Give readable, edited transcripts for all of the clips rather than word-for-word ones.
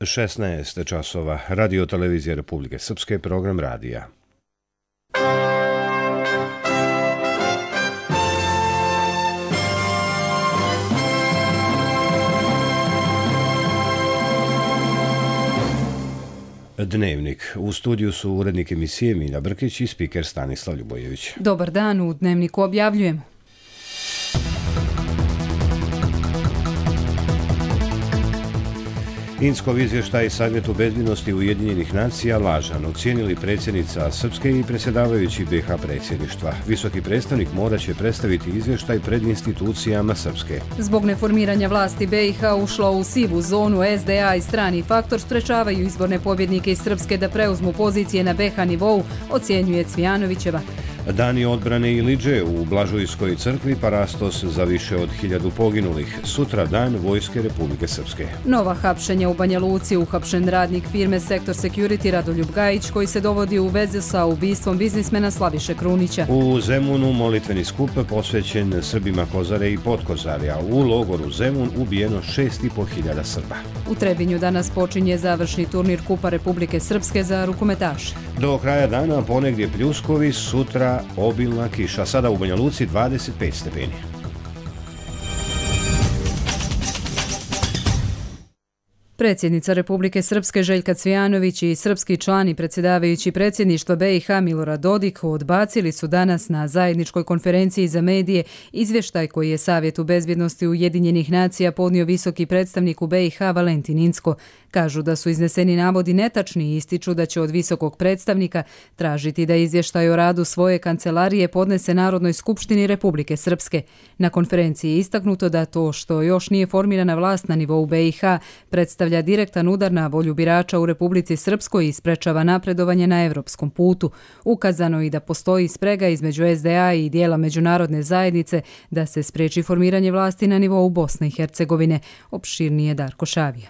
16 časova, Radio televizija Republike Srpske, program radija. Dnevnik. U studiju su urednik emisije Milja Brkić i spiker Stanislav Ljubojević. Dobar dan, u Dnevniku objavljujemo. Inckov izvještaj Savjetu bezbjednosti Ujedinjenih nacija lažan ocijenili predsjednica Srpske i predsjedavajući BiH predsjedništva. Visoki predstavnik morat će predstaviti izvještaj pred institucijama Srpske. Zbog neformiranja vlasti BiH ušlo u sivu zonu, SDA i strani faktor sprečavaju izborne pobjednike iz Srpske da preuzmu pozicije na BiH nivou, ocjenjuje Cvijanovićeva. Dani odbrane Iliđe u Blažujskoj crkvi, parastos za više od 1000 poginulih. Sutra dan Vojske Republike Srpske. Nova hapšenja u Banja Luci, uhapšen radnik firme Sektor Security Radoljub Gajić, koji se dovodi u veze sa ubistvom biznismena Slaviše Krunića. U Zemunu molitveni skup posvećen Srbima Kozare i Podkozarja. U logoru Zemun ubijeno 6500 Srba. U Trebinju danas počinje završni turnir Kupa Republike Srpske za rukometaše. Do kraja dana ponegdje pljuskovi, sutra obilna kiša. Sada u Banja Luci 25 stepeni. Predsjednica Republike Srpske Željka Cvijanović i srpski član i predsjedavajući predsjedništva BiH Milorad Dodik odbacili su danas na zajedničkoj konferenciji za medije izvještaj koji je Savjetu bezbjednosti Ujedinjenih nacija podnio visoki predstavnik u BiH Valentin Incko. Kažu da su izneseni navodi netačni i ističu da će od visokog predstavnika tražiti da izvještaj o radu svoje kancelarije podnese Narodnoj skupštini Republike Srpske. Na konferenciji je istaknuto da to što još nije formirana vlast na nivou BiH predstavlja direktan udar na volju birača u Republici Srpskoj i sprečava napredovanje na evropskom putu. Ukazano i da postoji sprega između SDA i dijela međunarodne zajednice da se spreči formiranje vlasti na nivou Bosne i Hercegovine. Opširnije Darko Šavija.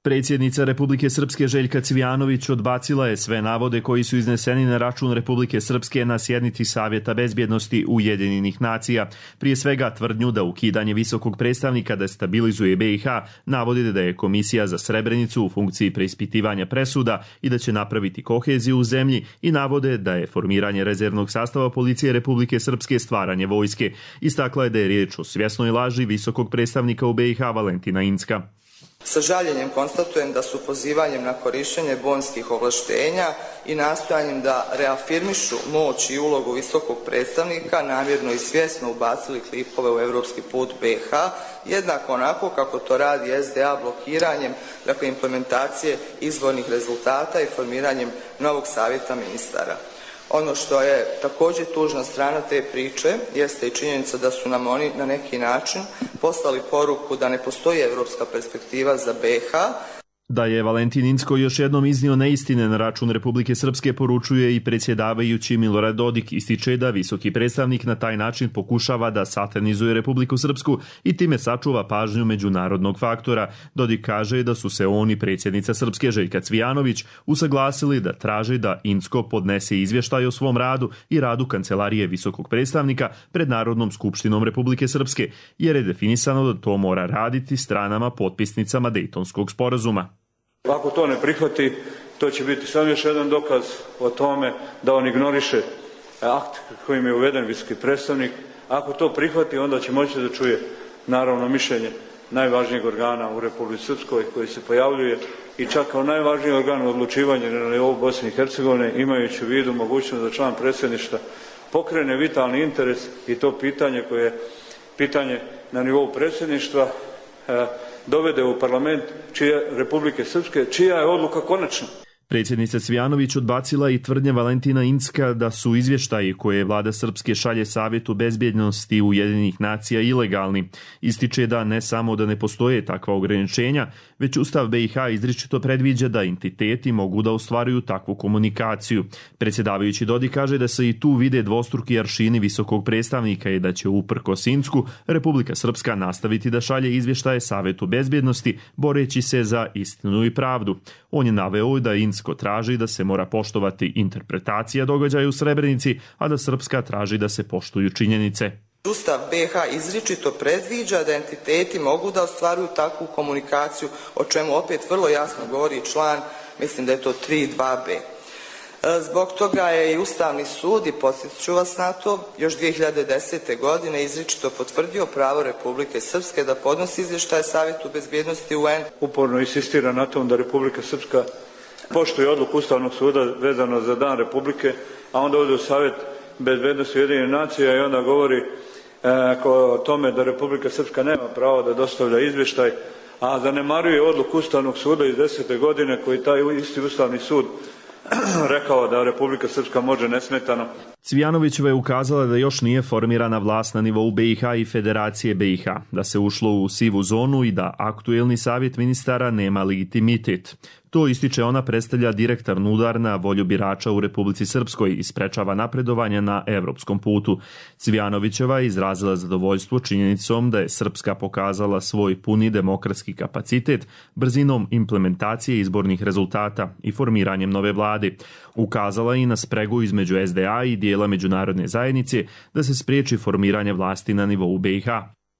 Predsjednica Republike Srpske Željka Cvijanović odbacila je sve navode koji su izneseni na račun Republike Srpske na sjednici Savjeta bezbjednosti Ujedinjenih nacija. Prije svega tvrdnju da ukidanje visokog predstavnika destabilizuje BiH, navodi da je Komisija za Srebrenicu u funkciji preispitivanja presuda i da će napraviti koheziju u zemlji i navode da je formiranje rezervnog sastava policije Republike Srpske stvaranje vojske. Istakla je da je riječ o svjesnoj laži visokog predstavnika u BiH Valentina Incka. Sa žaljenjem konstatujem da su pozivanjem na korištenje bonskih ovlaštenja i nastojanjem da reafirmišu moć i ulogu visokog predstavnika namjerno i svjesno ubacili klipove u evropski put BiH, jednako onako kako to radi SDA blokiranjem implementacije izbornih rezultata i formiranjem novog savjeta ministara. Ono što je također tužna strana te priče jeste i činjenica da su nam oni na neki način poslali poruku da ne postoji evropska perspektiva za BiH. Da je Valentin Incko još jednom iznio neistine na račun Republike Srpske poručuje i predsjedavajući Milorad Dodik. Ističe da visoki predstavnik na taj način pokušava da satanizuje Republiku Srpsku i time sačuva pažnju međunarodnog faktora. Dodik kaže da su se on i predsjednica Srpske Željka Cvijanović usaglasili da traže da Incko podnese izvještaj o svom radu i radu kancelarije visokog predstavnika pred Narodnom skupštinom Republike Srpske, jer je definisano da to mora raditi stranama potpisnicama Dejtonskog sporazuma. Ako to ne prihvati, to će biti samo još jedan dokaz o tome da on ignoriše akt kojim je uveden visoki predstavnik. Ako to prihvati, onda će moći da čuje naravno mišljenje najvažnijeg organa u Republici Srpskoj koji se pojavljuje i čak kao najvažniji organ u odlučivanju na nivou Bosne i Hercegovine, imajući u vidu mogućnost da član predsjedništva pokrene vitalni interes i to pitanje koje je pitanje na nivou predsjedništva dovede u parlament Republike Srpske, čija je odluka konačna. Predsjednica Cvijanović odbacila i tvrdnje Valentina Incka da su izvještaji koje vlada Srpske šalje Savjetu bezbjednosti Ujedinjenih nacija ilegalni. Ističe da ne samo da ne postoje takva ograničenja, već Ustav BiH izričito predviđa da entiteti mogu da ostvaruju takvu komunikaciju. Predsjedavajući Dodik kaže da se i tu vide dvostruki aršini visokog predstavnika i da će uprkos Incku Republika Srpska nastaviti da šalje izvještaje Savjetu bezbjednosti boreći se za istinu i pravdu. On je naveo da Incko traži da se mora poštovati interpretacija događaja u Srebrenici, a da Srpska traži da se poštuju činjenice. Ustav BiH izričito predviđa da entiteti mogu da ostvaruju takvu komunikaciju, o čemu opet vrlo jasno govori član, mislim da je to 3.2b. Zbog toga je i Ustavni sud, i podsjetit ću vas na to, još 2010. godine izričito potvrdio pravo Republike Srpske da podnosi izvještaje Savjetu bezbjednosti UN. Uporno insistira na tom da Republika Srpska poštuje odluku Ustavnog suda vezano za Dan Republike, a onda ode u Savjet bezbjednosti Ujedinjenih nacija i onda govori o tome da Republika Srpska nema pravo da dostavlja izvještaj, a zanemaruje odluku Ustavnog suda iz 10. godine koji taj isti Ustavni sud rekao da Republika Srpska može nesmetano. Cvijanovićeva je ukazala da još nije formirana vlast na nivou BiH i Federacije BiH, da se ušlo u sivu zonu i da aktuelni savjet ministara nema legitimitet. To, ističe ona, predstavlja direktan udar na volju birača u Republici Srpskoj i sprečava napredovanje na evropskom putu. Cvijanovićeva je izrazila zadovoljstvo činjenicom da je Srpska pokazala svoj puni demokratski kapacitet brzinom implementacije izbornih rezultata i formiranjem nove vlade. Ukazala i na spregu između SDA i dijela međunarodne zajednice da se spriječi formiranje vlasti na nivou BiH.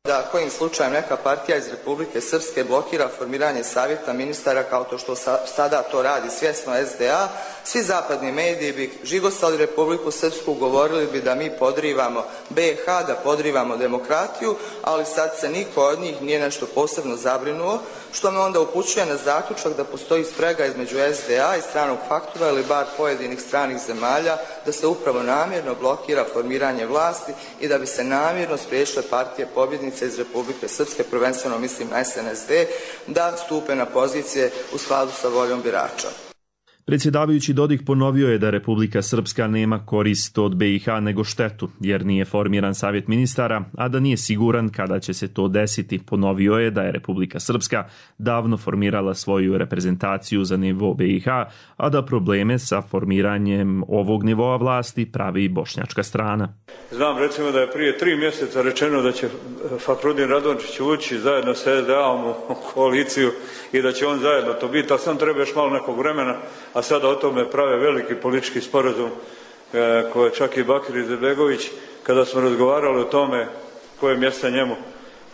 Da kojim slučajem neka partija iz Republike Srpske blokira formiranje savjeta ministara kao to što sada to radi svjesno SDA, svi zapadni mediji bi žigosali Republiku Srpsku, govorili bi da mi podrivamo BiH, da podrivamo demokratiju, ali sad se niko od njih nije nešto posebno zabrinuo, što me onda upućuje na zaključak da postoji sprega između SDA i stranog faktora ili bar pojedinih stranih zemalja, da se upravo namjerno blokira formiranje vlasti i da bi se namjerno spriječile partije pobjednice iz Republike Srpske, prvenstveno mislim na SNSD, da stupe na pozicije u skladu sa voljom birača. Predsjedavajući Dodik ponovio je da Republika Srpska nema korist od BiH nego štetu, jer nije formiran savjet ministara, a da nije siguran kada će se to desiti. Ponovio je da je Republika Srpska davno formirala svoju reprezentaciju za nivo BiH, a da probleme sa formiranjem ovog nivoa vlasti pravi bošnjačka strana. Znam recimo da je prije 3 mjeseca rečeno da će Fahrudin Radončić ući zajedno sa SDA-om u koaliciju i da će on zajedno to biti, a sam treba još malo nekog vremena, a sada o tome prave veliki politički sporazum koje čak i Bakir Izetbegović, kada smo razgovarali o tome koje mjesta njemu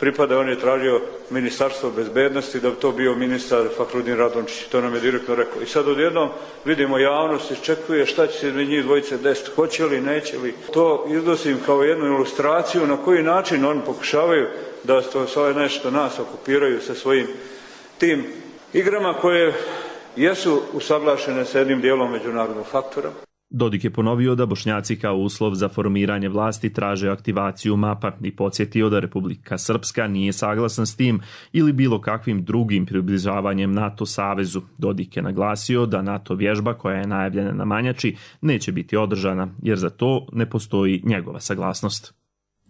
pripada, on je tražio ministarstvo bezbednosti da bi to bio ministar Fahrudin Radončić, to nam je direktno rekao. I sad odjednom vidimo javnost iščekuje šta će se njih dvojice desiti, hoće li, neće li. To iznosim kao jednu ilustraciju na koji način oni pokušavaju da svoje nešto nas okupiraju sa svojim tim igrama koje jesu usaglašene sa jednim dijelom međunarodnog faktora. Dodik je ponovio da Bošnjaci kao uslov za formiranje vlasti traže aktivaciju MAP-a i podsjetio da Republika Srpska nije saglasna s tim ili bilo kakvim drugim približavanjem NATO savezu. Dodik je naglasio da NATO vježba koja je najavljena na Manjači neće biti održana, jer za to ne postoji njegova saglasnost.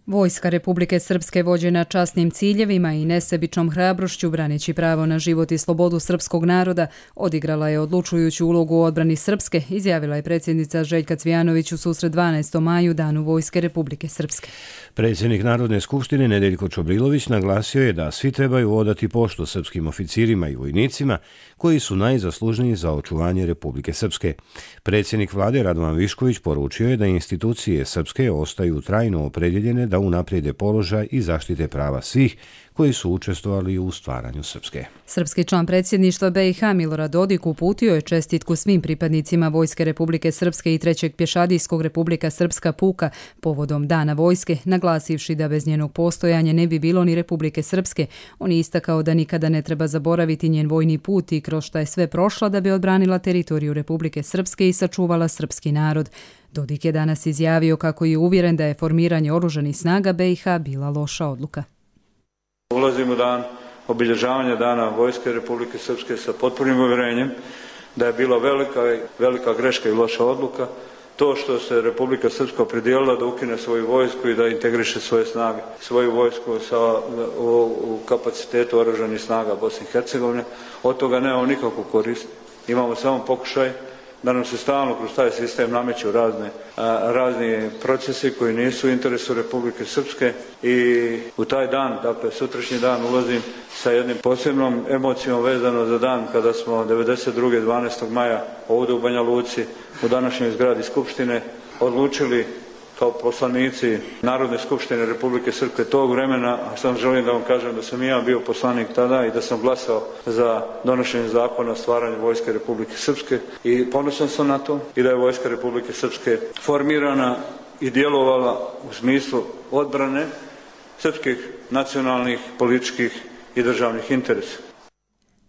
Vojska Republike Srpske vođena časnim ciljevima i nesebičnom hrabrošću braneći pravo na život i slobodu srpskog naroda odigrala je odlučujuću ulogu u odbrani Srpske, izjavila je predsjednica Željka Cvijanović u susret 12. maju Danu Vojske Republike Srpske. Predsjednik Narodne skupštine Nedeljko Čobrilović naglasio je da svi trebaju odati poštu srpskim oficirima i vojnicima koji su najzaslužniji za očuvanje Republike Srpske. Predsjednik vlade Radovan Višković poručio je da institucije Srpske ostaju trajno opredjeljene da unaprijede položaj i zaštite prava svih koji su učestvovali u stvaranju Srpske. Srpski član predsjedništva BiH Milorad Dodik uputio je čestitku svim pripadnicima Vojske Republike Srpske i 3. pješadijskog Republika Srpska puka povodom Dana vojske, naglasivši da bez njenog postojanja ne bi bilo ni Republike Srpske. On je istakao da nikada ne treba zaboraviti njen vojni put i kroz šta je sve prošla da bi odbranila teritoriju Republike Srpske i sačuvala srpski narod. Dodik je danas izjavio kako je uvjeren da je formiranje oružanih snaga BiH bila loša odluka. Ulazimo u dan obilježavanja Dana Vojske Republike Srpske sa potpunim uvjerenjem da je bila velika greška i loša odluka to što se Republika Srpska opredijelila da ukine svoju vojsku i da integriše svoje snage, svoju vojsku u kapacitetu oružanih snaga Bosne i Hercegovine. Od toga nemamo nikakvu korist. Imamo samo pokušaj da nam se stalno kroz taj sistem nameću razni procesi koji nisu u interesu Republike Srpske i u taj dan, dakle sutrašnji dan, ulazim sa jednim posebnom emocijom vezano za dan kada smo 1992. 12. maja ovdje u Banja Luci u današnjoj zgradi Skupštine odlučili kao poslanici Narodne skupštine Republike Srpske tog vremena, a sam želim da vam kažem da sam i ja bio poslanik tada i da sam glasao za donošenje zakona o stvaranju Vojske Republike Srpske i ponosan sam na to i da je Vojska Republike Srpske formirana i djelovala u smislu odbrane srpskih nacionalnih, političkih i državnih interesa.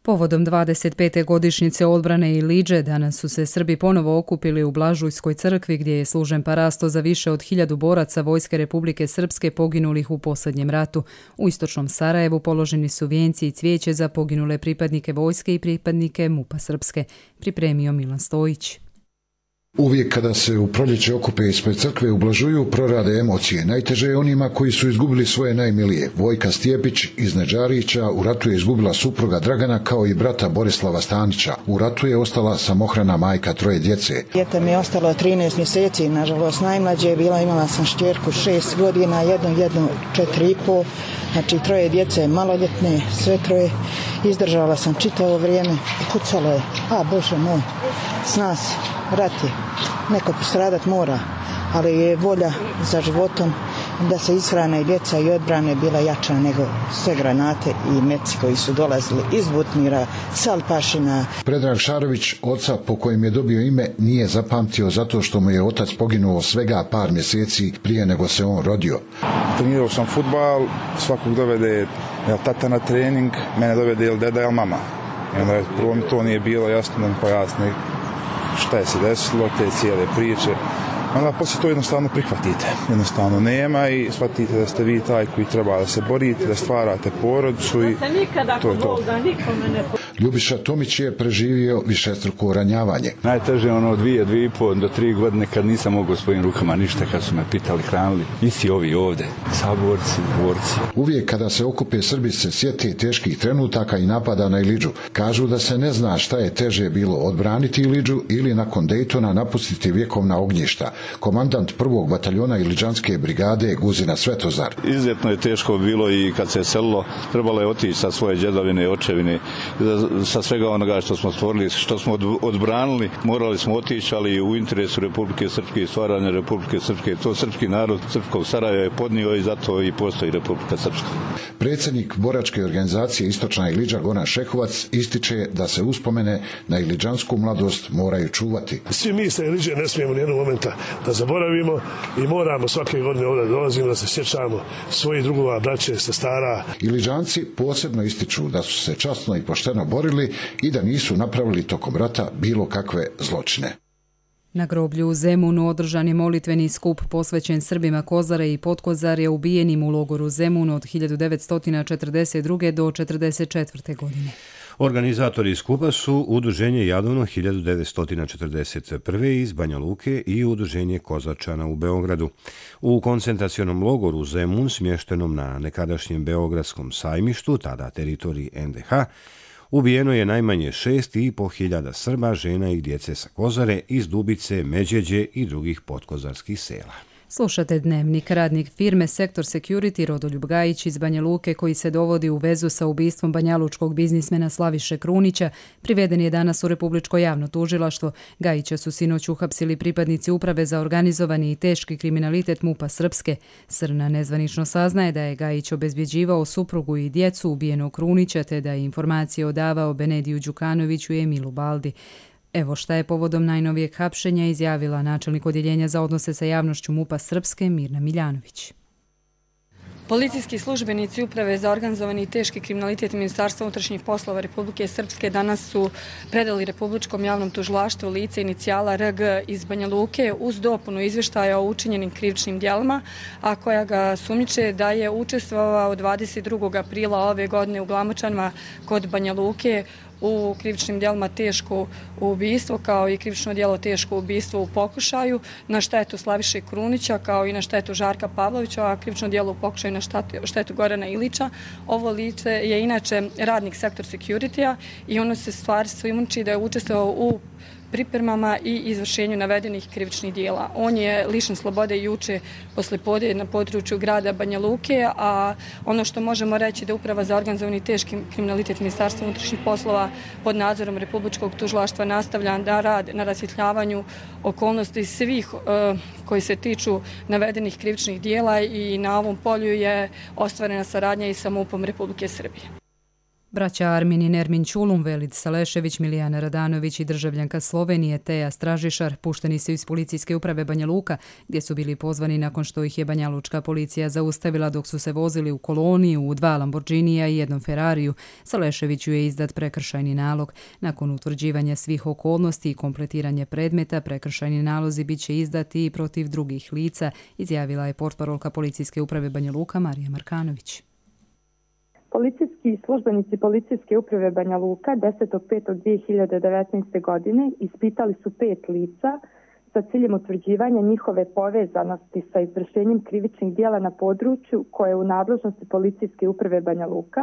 Povodom 25. godišnjice odbrane Iliđe danas su se Srbi ponovo okupili u Blažujskoj crkvi gdje je služen parasto za više od 1000 boraca Vojske Republike Srpske poginulih u posljednjem ratu. U istočnom Sarajevu položeni su vijenci i cvijeće za poginule pripadnike vojske i pripadnike MUP-a Srpske, pripremio Milan Stojić. Uvijek kada se u proljeće okupe ispred crkve u Blažuju prorade emocije. Najteže je onima koji su izgubili svoje najmilije. Vojka Stjepić iz Neđarića u ratu je izgubila supruga Dragana kao i brata Borislava Stanića. U ratu je ostala samohrana majka 3 djece. Dijete mi je ostalo 13 mjeseci, nažalost najmlađe je bila, imala sam šćerku 6 godina, jednu 4,5, znači 3 djece maloljetne, sve 3. Izdržala sam čitavo vrijeme, kucalo je, Bože moj, zna se. Rat je, neko postradat mora, ali je volja za životom da se ishrane i djeca i odbrane bila jača nego sve granate i meci koji su dolazili iz Butmira, Salpašina. Predrag Šarović, oca po kojem je dobio ime, nije zapamtio zato što mu je otac poginuo svega par mjeseci prije nego se on rodio. Trenirao sam fudbal, svakog dovede tata na trening, mene dovede ili deda ili mama. I onda prvo mi to nije bilo jasno da mi pojasni šta je se desilo, te cijele priče. Onda poslije to jednostavno prihvatite. Jednostavno nema i shvatite da ste vi taj koji treba da se borite, da stvarate porodicu i to je to. Ljubiša Tomić je preživio višestruko ranjavanje. Najteže je 2,5 do 3 godine kad nisam mogao svojim rukama ništa, kad su me pitali, hranili. Isti ovi ovde, saborci, dvorci. Uvijek kada se okupe Srbi se sjete teških trenutaka i napada na Iliđu. Kažu da se ne zna šta je teže bilo odbraniti Iliđu ili nakon Dejtona napustiti vjekovna ognjišta. Komandant 1. bataljona Iliđanske brigade Guzina Svetozar. Izuzetno je teško bilo i kad se selilo, trebalo je otići sa svoje djedovine, očevine, sa svega onoga što smo stvorili, što smo odbranili, morali smo otići, ali u interesu Republike Srpske i stvaranja Republike Srpske. To srpski narod Srpskog Sarajeva je podnio i zato i postoji Republika Srpska. Predsjednik boračke organizacije Istočna Iliđa Goran Šehovac ističe da se uspomene na iliđansku mladost moraju čuvati. Svi mi sa Iliđe ne smijemo nijednog momenta da zaboravimo i moramo svake godine ovdje dolazimo da se sjećamo svojih drugova, braće, sestara. Iliđanci posebno ističu da su se časno i pošteno borili i da nisu napravili tokom rata bilo kakve zločine. Na groblju u Zemunu održan je molitveni skup posvećen Srbima Kozare i Potkozarja ubijenim u logoru Zemun od 1942. do 1944. godine. Organizatori skupa su Udruženje Jadovno 1941. iz Banja Luke i Udruženje Kozačana u Beogradu. U koncentracionom logoru Zemun, smještenom na nekadašnjem Beogradskom sajmištu, tada teritoriji NDH, ubijeno je najmanje 6.500 Srba, žena i djece sa Kozare, iz Dubice, Međeđe i drugih potkozarskih sela. Slušate Dnevnik. Radnik firme Sektor Security Rodoljub Gajić iz Banja Luke, koji se dovodi u vezu sa ubistvom banjalučkog biznismena Slaviše Krunića, priveden je danas u Republičko javno tužilaštvo. Gajića su sinoć uhapsili pripadnici Uprave za organizovani i teški kriminalitet MUP-a Srpske. Srna nezvanično saznaje da je Gajić obezbjeđivao suprugu i djecu ubijenog Krunića, te da je informacije odavao Benediju Đukanoviću i Emilu Baldi. Evo šta je povodom najnovijeg hapšenja izjavila načelnik odjeljenja za odnose sa javnošću MUP-a Srpske Mirna Miljanović. Policijski službenici Uprave za organizovani i teški kriminalitet Ministarstva unutrašnjih poslova Republike Srpske danas su predali Republičkom javnom tužilaštvu lice inicijala RG iz Banja Luke uz dopunu izvještaja o učinjenim krivičnim djelima, a koja ga sumnjiče da je učestvovao 22. aprila ove godine u Glamočanima kod Banja Luke u krivičnim djelima teško ubistvo, kao i krivično djelo teško ubistvo u pokušaju na štetu Slaviše Krunića, kao i na štetu Žarka Pavlovića, a krivično djelo u pokušaju na štetu Gorana Ilića. Ovo lice je inače radnik Sektor Security-a i ono se stvari sumnjiči da je učestvovao u pripremama i izvršenju navedenih krivičnih dijela. On je lišen slobode juče poslijepodne na području grada Banja Luke, a ono što možemo reći da Uprava za organizovani teški kriminalitet Ministarstva unutrašnjih poslova pod nadzorom Republičkog tužilaštva nastavlja da rad na rasvjetljavanju okolnosti svih koji se tiču navedenih krivičnih dijela i na ovom polju je ostvarena saradnja i sa MUP-om Republike Srbije. Braća Armin i Nermin Ćulum, Velid Salešević, Milijana Radanović i državljanka Slovenije Teja Stražišar pušteni su iz policijske uprave Banja Luka, gdje su bili pozvani nakon što ih je banjalučka policija zaustavila dok su se vozili u koloniji u 2 Lamborghinija i 1 Ferrariju. Saleševiću je izdat prekršajni nalog. Nakon utvrđivanja svih okolnosti i kompletiranja predmeta, prekršajni nalozi bit će izdati i protiv drugih lica, izjavila je portparolka policijske uprave Banja Luka Marija Markanović. Policijski službenici policijske uprave Banja Luka 10.5.2019. godine ispitali su 5 lica sa ciljem utvrđivanja njihove povezanosti sa izvršenjem krivičnih dijela na području koje je u nadležnosti policijske uprave Banja Luka,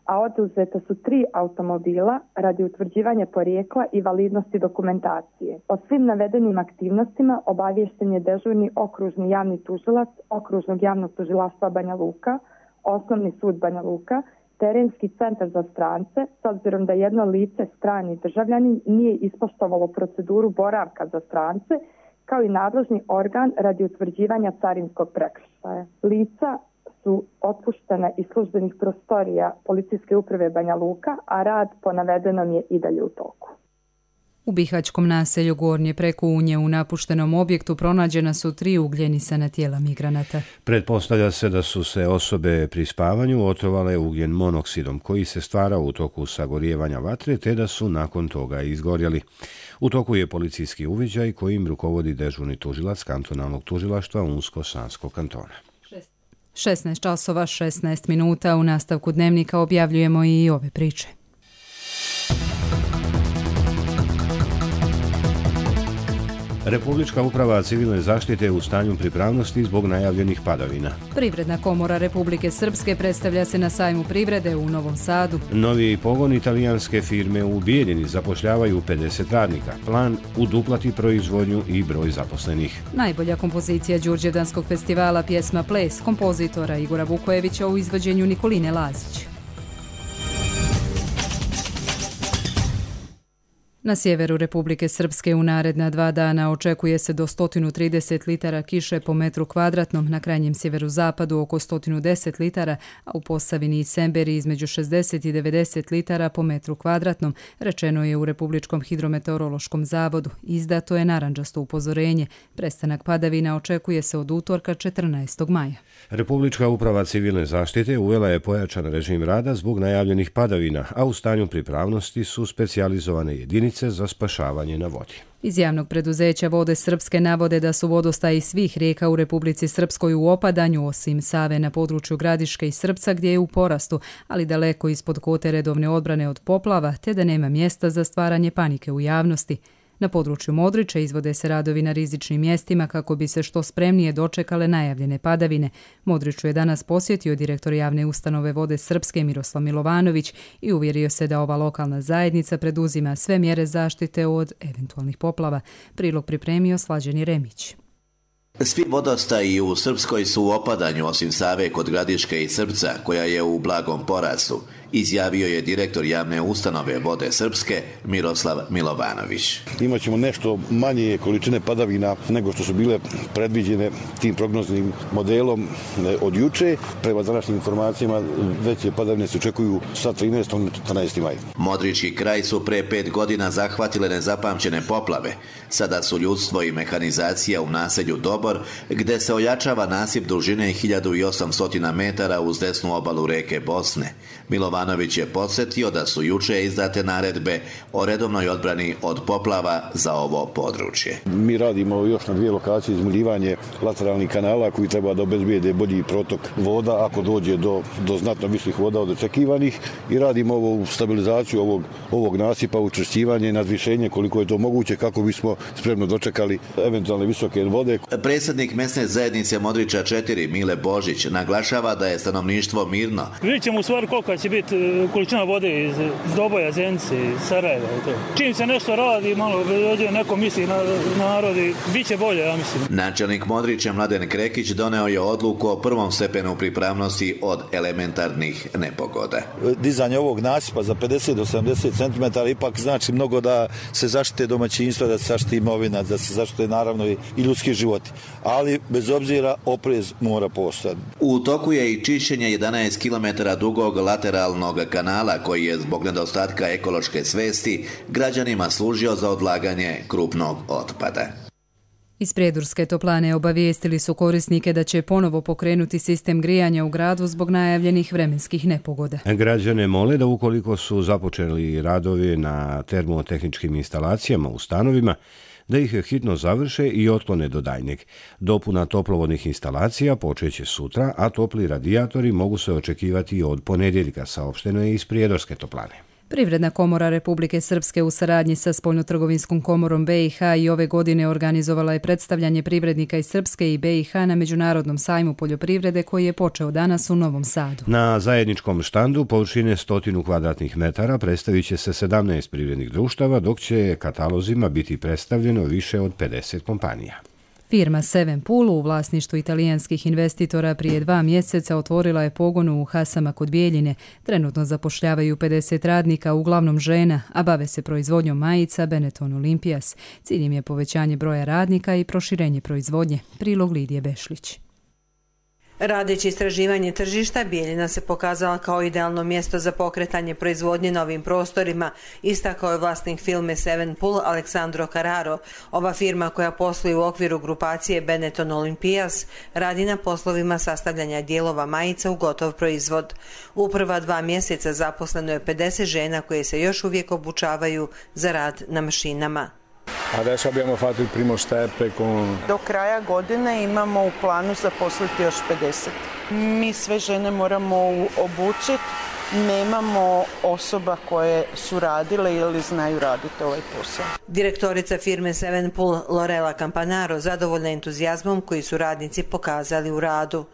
a oduzeta su 3 automobila radi utvrđivanja porijekla i validnosti dokumentacije. O svim navedenim aktivnostima obaviješten je dežurni okružni javni tužilac Okružnog javnog tužilaštva Banja Luka, Osnovni sud Banja Luka, Terenski centar za strance, s obzirom da jedno lice, strani državljanin, nije ispoštovalo proceduru boravka za strance, kao i nadležni organ radi utvrđivanja carinskog prekršaja. Lica su otpuštena iz službenih prostorija policijske uprave Banja Luka, a rad po navedenom je i dalje u toku. U bihaćkom naselju Gornje Prekunje u napuštenom objektu pronađena su 3 ugljenisana tijela migranata. Pretpostavlja se da su se osobe pri spavanju otrovale ugljen monoksidom koji se stvara u toku sagorijevanja vatre te da su nakon toga izgorjeli. U toku je policijski uviđaj kojim rukovodi dežurni tužilac kantonalnog tužilaštva Unsko-Sanskog kantona. 16 časova 16 minuta u nastavku dnevnika objavljujemo i ove priče. Republička uprava civilne zaštite je u stanju pripravnosti zbog najavljenih padavina. Privredna komora Republike Srpske predstavlja se na sajmu privrede u Novom Sadu. Novi pogon italijanske firme u Bijeljini zapošljavaju 50 radnika. Plan uduplati proizvodnju i broj zaposlenih. Najbolja kompozicija Đurđevdanskog festivala pjesma Ples kompozitora Igora Vukojevića u izvođenju Nikoline Lazić. Na sjeveru Republike Srpske u naredna 2 dana očekuje se do 130 litara kiše po metru kvadratnom, na krajnjem sjeverozapadu oko 110 litara, a u Posavini i Semberi između 60 i 90 litara po metru kvadratnom, rečeno je u Republičkom hidrometeorološkom zavodu. Izdato je narandžasto upozorenje. Prestanak padavina očekuje se od utorka 14. maja. Republička uprava civilne zaštite uvela je pojačan režim rada zbog najavljenih padavina, a u stanju pripravnosti su specijalizovane jedinice za spašavanje na vodi. Iz javnog preduzeća Vode Srpske navode da su vodostaji svih rijeka u Republici Srpskoj u opadanju, osim Save na području Gradiške i Srpca gdje je u porastu, ali daleko ispod kote redovne odbrane od poplava, te da nema mjesta za stvaranje panike u javnosti. Na području Modrića izvode se radovi na rizičnim mjestima kako bi se što spremnije dočekale najavljene padavine. Modriću je danas posjetio direktor javne ustanove Vode Srpske Miroslav Milovanović i uvjerio se da ova lokalna zajednica preduzima sve mjere zaštite od eventualnih poplava. Prilog pripremio Slađeni Remić. Svi vodostaji u Srpskoj su u opadanju osim Save kod Gradiške i Srpca koja je u blagom porastu, izjavio je direktor javne ustanove Vode Srpske Miroslav Milovanović. Imaćemo nešto manje količine padavina nego što su bile predviđene tim prognoznim modelom od juče. Prema današnjim informacijama veće padavine se očekuju sa 13. na 14. maj. Modrički kraj su pre 5 godina zahvatile nezapamćene poplave. Sada su ljudstvo i mehanizacija u naselju Dobor, gde se ojačava nasip dužine 1800 metara uz desnu obalu reke Bosne. Milovanović je podsjetio da su juče izdate naredbe o redovnoj odbrani od poplava za ovo područje. Mi radimo još na 2 lokacije izmuljivanje lateralnih kanala koji treba da obezbijede bolji protok voda ako dođe do znatno viših voda od očekivanih i radimo ovu stabilizaciju ovog nasipa, učvršćivanje i nadvišenje koliko je to moguće kako bismo spremno dočekali eventualne visoke vode. Predsjednik mesne zajednice Modrića 4 Mile Božić naglašava da je stanovništvo mirno. Vidjet ćemo u stvari koliko će biti količina vode iz Doboja, Zenice, iz Sarajeva. Čim se nešto radi, malo dođe neko misli na narod i bit će bolje, ja mislim. Načelnik Modrića Mladen Krekić doneo je odluku o prvom stepenu pripravnosti od elementarnih nepogoda. Dizanje ovog nasipa za 50 do 70 cm ipak znači mnogo da se zaštite domaćinstva, da se zaštite imovina, da se zaštite naravno i ljudski životi. Ali bez obzira oprez mora postojati. U toku je i čišćenje 11 km dugog lateralnog kanala koji je zbog nedostatka ekološke svesti građanima služio za odlaganje krupnog otpada. Iz Prijedorske toplane obavijestili su korisnike da će ponovo pokrenuti sistem grijanja u gradu zbog najavljenih vremenskih nepogoda. Građane mole da ukoliko su započeli radovi na termotehničkim instalacijama u stanovima, da ih hitno završe i otklone do daljnjeg. Dopuna toplovodnih instalacija počeće sutra, a topli radijatori mogu se očekivati od ponedjeljka, saopšteno je iz Prijedorske toplane. Privredna komora Republike Srpske u saradnji sa Spoljnotrgovinskom komorom BiH i ove godine organizovala je predstavljanje privrednika iz Srpske i BiH na Međunarodnom sajmu poljoprivrede koji je počeo danas u Novom Sadu. Na zajedničkom štandu površine 100 kvadratnih metara predstavit će se 17 privrednih društava, dok će katalozima biti predstavljeno više od 50 kompanija. Firma Seven Pool u vlasništvu italijanskih investitora prije 2 mjeseca otvorila je pogon u Hasama kod Bijeljine. Trenutno zapošljavaju 50 radnika, uglavnom žena, a bave se proizvodnjom majica Benetton Olympias. Cilj im je povećanje broja radnika i proširenje proizvodnje. Prilog Lidije Bešlić. Radeći istraživanje tržišta, Bijeljina se pokazala kao idealno mjesto za pokretanje proizvodnje na ovim prostorima, istakao je vlasnik firme Seven Pool Aleksandro Carraro. Ova firma koja posluje u okviru grupacije Benetton Olympias radi na poslovima sastavljanja dijelova majica u gotov proizvod. U prva 2 mjeseca zaposleno je 50 žena koje se još uvijek obučavaju za rad na mašinama. Adesso abbiamo fatto il primo step con... Do kraja godine imamo u planu zaposliti još 50. Mi sve žene moramo obučiti, nemamo osoba koje su radile ili znaju raditi ovaj posao. Direktorica firme Seven Pool Lorela Campanaro zadovoljna entuzijazmom koji su radnici pokazali u radu.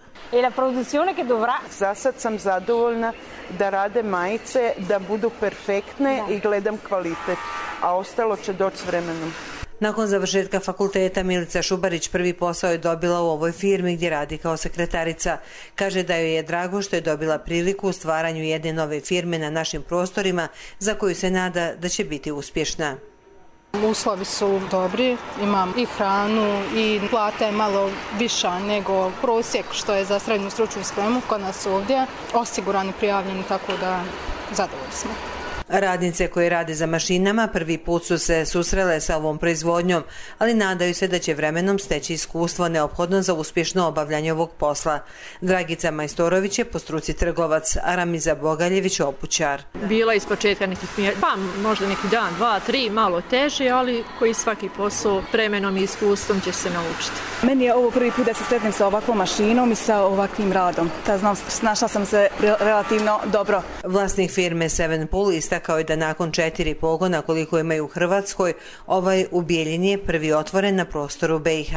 Za sad sam zadovoljna da rade majice, da budu perfektne i gledam kvalitet, a ostalo će doći s vremenom. Nakon završetka fakulteta Milica Šubarić prvi posao je dobila u ovoj firmi gdje radi kao sekretarica. Kaže da joj je drago što je dobila priliku u stvaranju jedne nove firme na našim prostorima za koju se nada da će biti uspješna. Uslovi su dobri, imam i hranu i plata je malo viša nego prosjek što je za srednju stručnu spremu kod nas ovdje. Osigurani, prijavljeni, tako da zadovoljni smo. Radnice koje rade za mašinama prvi put su se susrele sa ovom proizvodnjom, ali nadaju se da će vremenom steći iskustvo neophodno za uspješno obavljanje ovog posla. Dragica Majstorović je po struci trgovac, a Ramiza Bogaljević obućar. Bila iz početka nekih možda neki dan, 2, 3, malo teže, ali koji svaki posao vremenom i iskustvom će se naučiti. Meni je ovo prvi put da se sretnem sa ovakvom mašinom i sa ovakvim radom. Snašla sam se relativno dobro. Vlasnik firme Seven Pool istakao je da nakon 4 pogona koliko imaju u Hrvatskoj, ovaj u Bijeljini je prvi otvoren na prostoru BiH.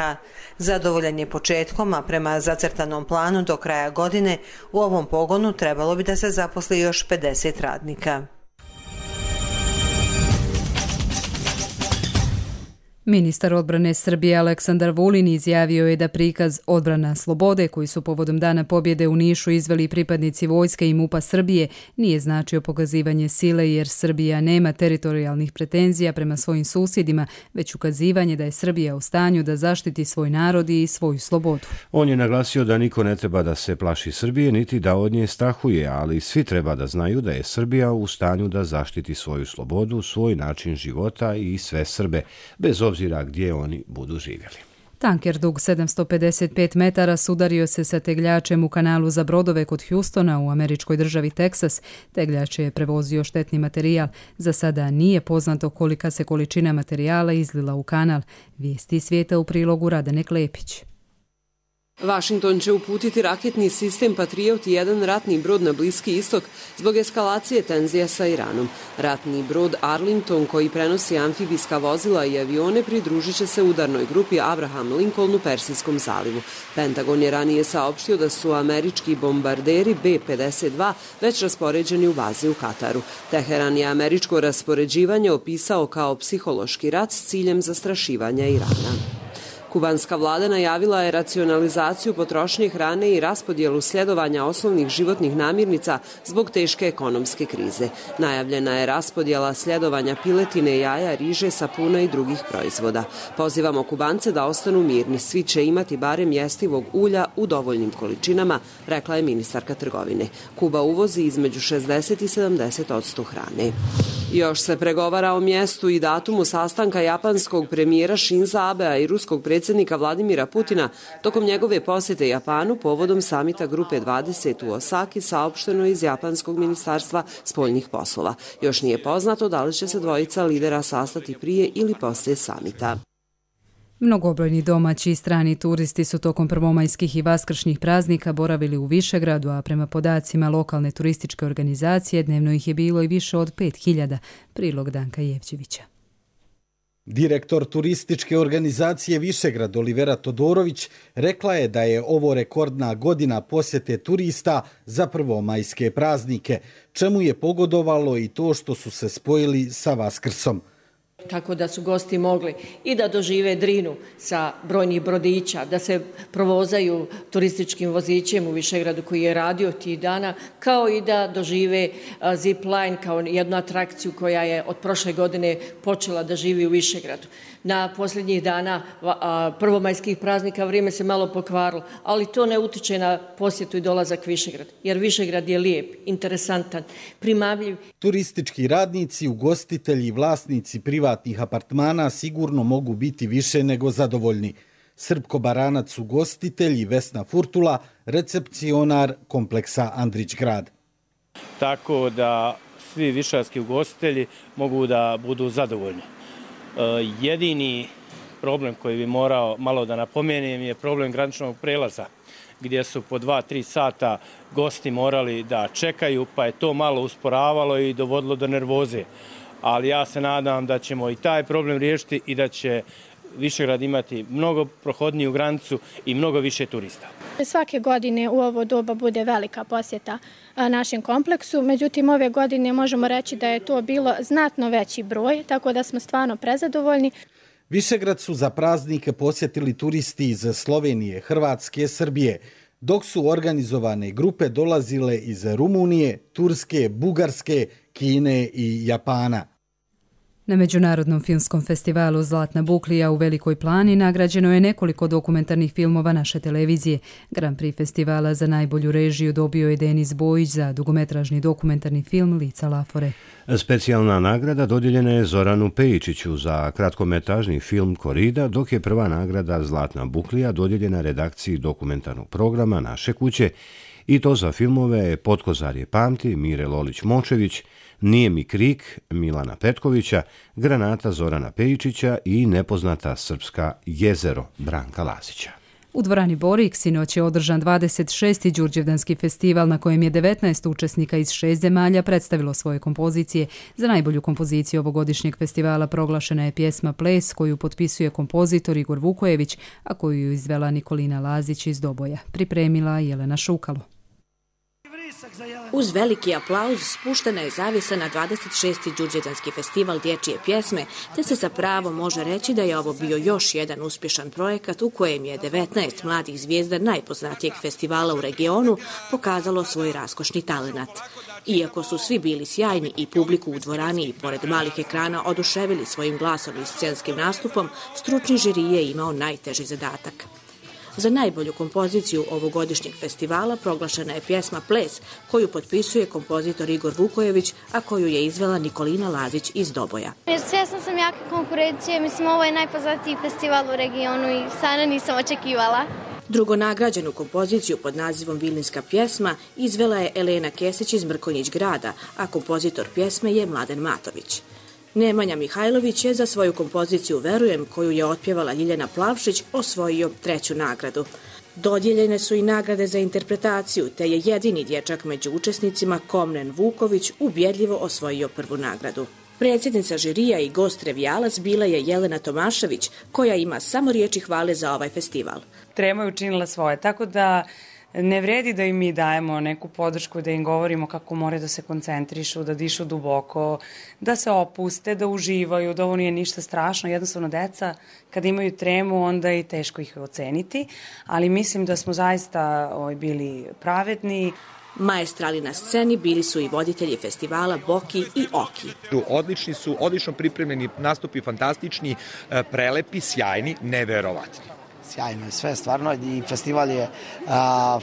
Zadovoljan je početkom, a prema zacrtanom planu do kraja godine u ovom pogonu trebalo bi da se zaposli još 50 radnika. Ministar odbrane Srbije Aleksandar Vulin izjavio je da prikaz Odbrana slobode koji su povodom Dana pobjede u Nišu izveli pripadnici vojske i MUP-a Srbije nije značio pokazivanje sile jer Srbija nema teritorijalnih pretenzija prema svojim susjedima, već ukazivanje da je Srbija u stanju da zaštiti svoj narod i svoju slobodu. On je naglasio da niko ne treba da se plaši Srbije niti da od nje strahuje, ali svi treba da znaju da je Srbija u stanju da zaštiti svoju slobodu, svoj način života i sve Srbe, bez obzira gdje oni budu živjeli. Tanker dug 755 metara sudario se sa tegljačem u kanalu za brodove kod Houstona u američkoj državi Teksas. Tegljač je prevozio štetni materijal. Za sada nije poznato kolika se količina materijala izlila u kanal. Vijesti svijeta u prilogu Radane Klepić. Vašington će uputiti raketni sistem Patriot i jedan ratni brod na Bliski istok zbog eskalacije tenzija sa Iranom. Ratni brod Arlington, koji prenosi amfibijska vozila i avione, pridružit će se udarnoj grupi Abraham Lincoln u Persijskom zalivu. Pentagon je ranije saopštio da su američki bombarderi B-52 već raspoređeni u bazi u Kataru. Teheran je američko raspoređivanje opisao kao psihološki rat s ciljem zastrašivanja Irana. Kubanska vlada najavila je racionalizaciju potrošnje hrane i raspodjelu sljedovanja osnovnih životnih namirnica zbog teške ekonomske krize. Najavljena je raspodjela sljedovanja piletine, jaja, riže, sapuna i drugih proizvoda. Pozivamo Kubance da ostanu mirni, svi će imati barem jestivog ulja u dovoljnim količinama, rekla je ministarka trgovine. Kuba uvozi između 60 i 70% hrane. Još se pregovara o mjestu i datumu sastanka japanskog premijera Shinza Abea i ruskog predsjednika Vladimira Putina tokom njegove posjete Japanu povodom samita Grupe 20 u Osaki, saopšteno iz Japanskog ministarstva spoljnih poslova. Još nije poznato da li će se dvojica lidera sastati prije ili poslije samita. Mnogobrojni domaći i strani turisti su tokom prvomajskih i vaskršnjih praznika boravili u Višegradu, a prema podacima lokalne turističke organizacije dnevno ih je bilo i više od 5000. Prilog Danka Jevđevića. Direktor turističke organizacije Višegrad Olivera Todorović rekla je da je ovo rekordna godina posjete turista za prvomajske praznike, čemu je pogodovalo i to što su se spojili sa Vaskrsom. Tako da su gosti mogli i da dožive Drinu sa brojnih brodića, da se provozaju turističkim vozićem u Višegradu koji je radio tih dana, kao i da dožive zipline kao jednu atrakciju koja je od prošle godine počela da živi u Višegradu. Na posljednjih dana prvomajskih praznika vrijeme se malo pokvarilo, ali to ne utiče na posjetu i dolazak Višegrad, jer Višegrad je lijep, interesantan, primamljiv. Turistički radnici, ugostitelji i vlasnici privatnih apartmana sigurno mogu biti više nego zadovoljni. Srpko Baranac, ugostitelj, i Vesna Furtula, recepcionar kompleksa Andrić grad. Tako da svi višarski ugostitelji mogu da budu zadovoljni. Jedini problem koji bi morao malo da napomenem je problem graničnog prelaza, gdje su po 2-3 sata gosti morali da čekaju, pa je to malo usporavalo i dovodilo do nervoze. Ali ja se nadam da ćemo i taj problem riješiti i da će Višegrad imati mnogo prohodniju granicu i mnogo više turista. Svake godine u ovo doba bude velika posjeta našem kompleksu, međutim ove godine možemo reći da je to bilo znatno veći broj, tako da smo stvarno prezadovoljni. Višegrad su za praznike posjetili turisti iz Slovenije, Hrvatske, Srbije, dok su organizovane grupe dolazile iz Rumunije, Turske, Bugarske, Kine i Japana. Na Međunarodnom filmskom festivalu Zlatna buklija u Velikoj Plani nagrađeno je nekoliko dokumentarnih filmova naše televizije. Grand Prix festivala za najbolju režiju dobio je Denis Bojić za dugometražni dokumentarni film Lica Lafore. Specijalna nagrada dodijeljena je Zoranu Pejičiću za kratkometražni film Korida, dok je prva nagrada Zlatna buklija dodijeljena redakciji dokumentarnog programa Naše kuće, i to za filmove Potkozarje pamti Mire Lolić-Močević, Nije mi krik Milana Petkovića, Granata Zorana Pejičića i Nepoznata srpska jezero Branka Lazića. U dvorani Borik sinoć je održan 26. Đurđevdanski festival na kojem je 19 učesnika iz 6 zemalja predstavilo svoje kompozicije. Za najbolju kompoziciju ovogodišnjeg festivala proglašena je pjesma Ples koju potpisuje kompozitor Igor Vukojević, a koju je izvela Nikolina Lazić iz Doboja. Pripremila Jelena Šukalo. Uz veliki aplauz spuštena je zavjesa na 26. Đurđevdanski festival dječje pjesme, te se zapravo može reći da je ovo bio još jedan uspješan projekat u kojem je 19 mladih zvijezda najpoznatijeg festivala u regionu pokazalo svoj raskošni talenat. Iako su svi bili sjajni i publiku u dvorani i pored malih ekrana oduševili svojim glasom i scenskim nastupom, stručni žiri je imao najteži zadatak. Za najbolju kompoziciju ovogodišnjeg festivala proglašena je pjesma Ples, koju potpisuje kompozitor Igor Vukojević, a koju je izvela Nikolina Lazić iz Doboja. Svjesna sam jake konkurencije, mislim ovo je najpoznatiji festival u regionu i stvarno nisam očekivala. Drugonagrađenu kompoziciju pod nazivom Vilinska pjesma izvela je Elena Kesić iz Mrkonjić grada, a kompozitor pjesme je Mladen Matović. Nemanja Mihajlović je za svoju kompoziciju Verujem, koju je otpjevala Ljiljana Plavšić, osvojio 3. nagradu. Dodijeljene su i nagrade za interpretaciju, te je jedini dječak među učesnicima, Komnen Vuković, ubjedljivo osvojio prvu nagradu. Predsjednica žirija i gost revijalac bila je Jelena Tomašević, koja ima samo riječi hvale za ovaj festival. Trema je učinila svoje, tako da ne vredi da im mi dajemo neku podršku, da im govorimo kako moraju da se koncentrišu, da dišu duboko, da se opuste, da uživaju, da ovo nije ništa strašno. Jednostavno, deca kada imaju tremu, onda je i teško ih oceniti, ali mislim da smo zaista bili pravedni. Maestrali na sceni bili su i voditelji festivala Boki i Oki. Odlični su, odlično pripremljeni nastupi, fantastični, prelepi, sjajni, neverovatni. Sjajno je sve, stvarno, i festival je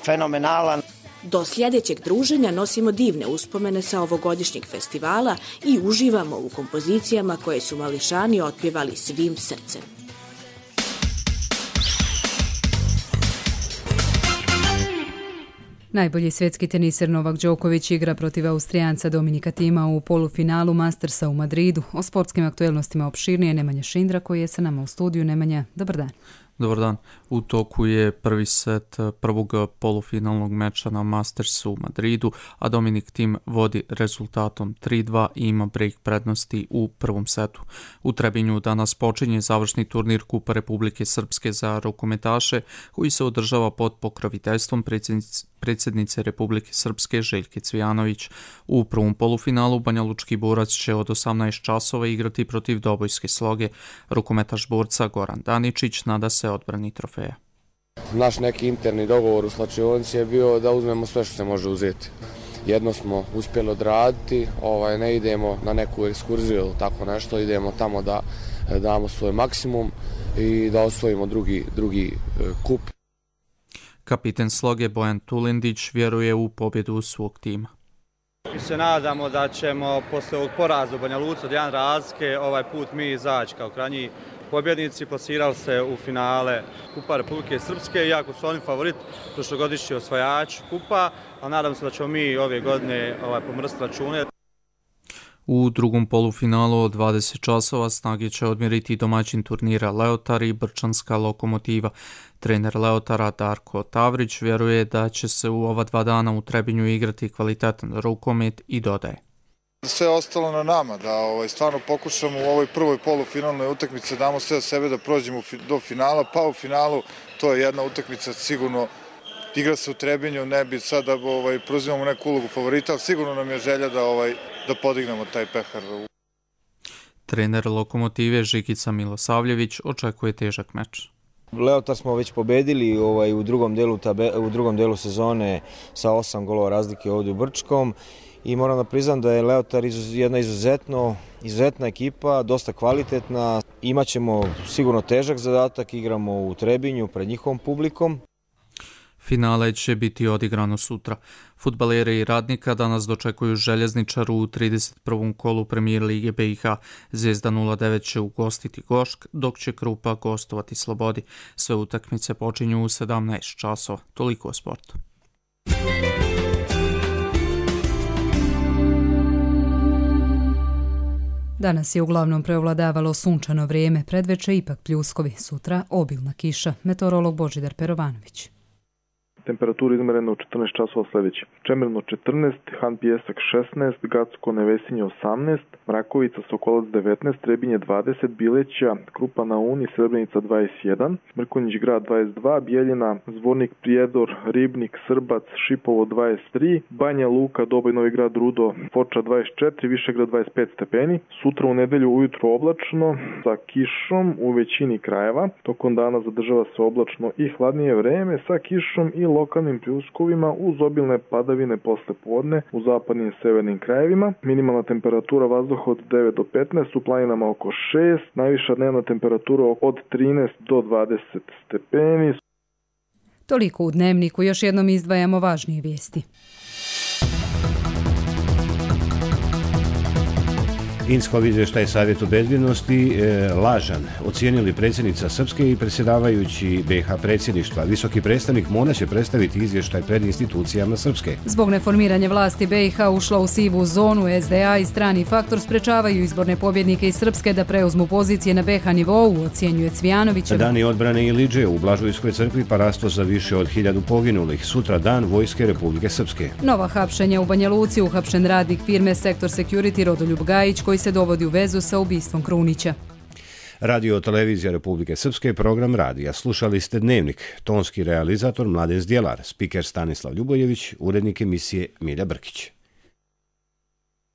fenomenalan. Do sljedećeg druženja nosimo divne uspomene sa ovogodišnjeg festivala i uživamo u kompozicijama koje su mališani otpjevali svim srcem. Najbolji svjetski teniser Novak Đoković igra protiv Austrijanca Dominika Tima u polufinalu Mastersa u Madridu. O sportskim aktuelnostima opširnije Nemanja Šindra koji je sa nama u studiju. Nemanja, dobar dan. Dobar dan. U toku je prvi set prvog polufinalnog meča na Mastersu u Madridu, a Dominik Tim vodi rezultatom 3-2 i ima break prednosti u prvom setu. U Trebinju danas počinje završni turnir Kupa Republike Srpske za rukometaše, koji se održava pod pokroviteljstvom predsjednice Republike Srpske Željke Cvijanović. U prvom polufinalu Banjalučki borac će od 18 časova igrati protiv Dobojske Sloge. Rukometaš borca Goran Daničić nada se odbrani trofeja. Naš neki interni dogovor u slačionici je bio da uzmemo sve što se može uzeti. Jedno smo uspjeli odraditi, ne idemo na neku ekskurziju ili tako nešto, idemo tamo da damo svoj maksimum i da osvojimo drugi kup. Kapiten Sloge Bojan Tulindić vjeruje u pobjedu svog tima. Mi se nadamo da ćemo posle ovog poraza u Banja Luci od 1 razlike ovaj put mi izaći kao krajnji pobjednici, plasirali se u finale Kupa Republike Srpske, iako su oni favorit prošlogodišnji osvajač kupa, a nadam se da ćemo mi ove godine pomrstiti račune. U drugom polufinalu od 20 časova snage će odmjeriti domaćin turnira Leotar i Brčanska Lokomotiva. Trener Leotara Darko Tavrić vjeruje da će se u ova 2 dana u Trebinju igrati kvalitetan rukomet i dodaje. Sve ostalo na nama, da stvarno pokušamo u ovoj prvoj polufinalnoj utakmici da damo sve od sebe da prođemo do finala, pa u finalu to je jedna utakmica sigurno. Igra se u Trebinju, ne bi sad da preuzimamo neku ulogu favorita, ali sigurno nam je želja da podignemo taj pehar. Trener Lokomotive Žikica Milosavljević očekuje težak meč. Leotar smo već pobedili u drugom delu sezone sa 8 golova razlike ovdje u Brčkom i moram da priznam da je Leotar jedna izuzetna ekipa, dosta kvalitetna. Imaćemo sigurno težak zadatak, igramo u Trebinju pred njihovom publikom. Finale će biti odigrano sutra. Fudbalere i Radnika danas dočekuju Željezničaru u 31. kolu Premijer Lige BiH. Zvezda 09 će ugostiti Gošk, dok će Krupa gostovati Slobodi. Sve utakmice počinju u 17 časova. Toliko o sportu. Danas je uglavnom preovladavalo sunčano vrijeme, predveče ipak pljuskovi, sutra obilna kiša. Meteorolog Božidar Perovanović. Temperatura izmerena u 14 časova sljedeće. Čemerno 14, Han Pijesak 16, Gacko Nevesinje 18, Mrakovica Sokolac 19, Trebinje 20, Bileća, Krupa na Uni, Srebrenica 21, Mrkonjić grad 22, Bijeljina, Zvornik Prijedor, Ribnik, Srbac, Šipovo 23, Banja Luka, Doboj Novi Grad, Rudo, Foča 24, Višegrad 25 stepeni. Sutra u nedelju ujutro oblačno sa kišom u većini krajeva. Tokom dana zadržava se oblačno i hladnije vreme sa kišom i lokalnim pljuskovima uz obilne padavine posle podne u zapadnim i severnim krajevima. Minimalna temperatura vazduha od 9 do 15, u planinama oko 6, najviša dnevna temperatura od 13 do 20 stepeni. Toliko u Dnevniku, još jednom izdvajamo važnije vijesti. Inskov izvještaj Savjetu bezbjednosti lažan, ocijenili predsjednica Srpske i predsjedavajući BiH predsjedništva. Visoki predstavnik morat će predstaviti izvještaj pred institucijama Srpske. Zbog neformiranja vlasti BiH ušla u sivu zonu, SDA i strani faktor sprečavaju izborne pobjednike iz Srpske da preuzmu pozicije na BiH nivou, ocjenjuje Cvijanovićeva. Dani odbrane i liđe u Blažujskoj crkvi parasto za više od 1000 poginulih. Sutra dan Vojske Republike Srpske. Nova hapšenja u Banja Luci, uhapšen radnik firme Sektor Security Rodoljub Gajić koji se dovodi u vezu sa ubistvom Krunića. Radio televizija Republike Srpske, program radija. Slušali ste Dnevnik, tonski realizator Mladen Zdjelar, spiker Stanislav Ljubojević, urednik emisije Milja Brkić.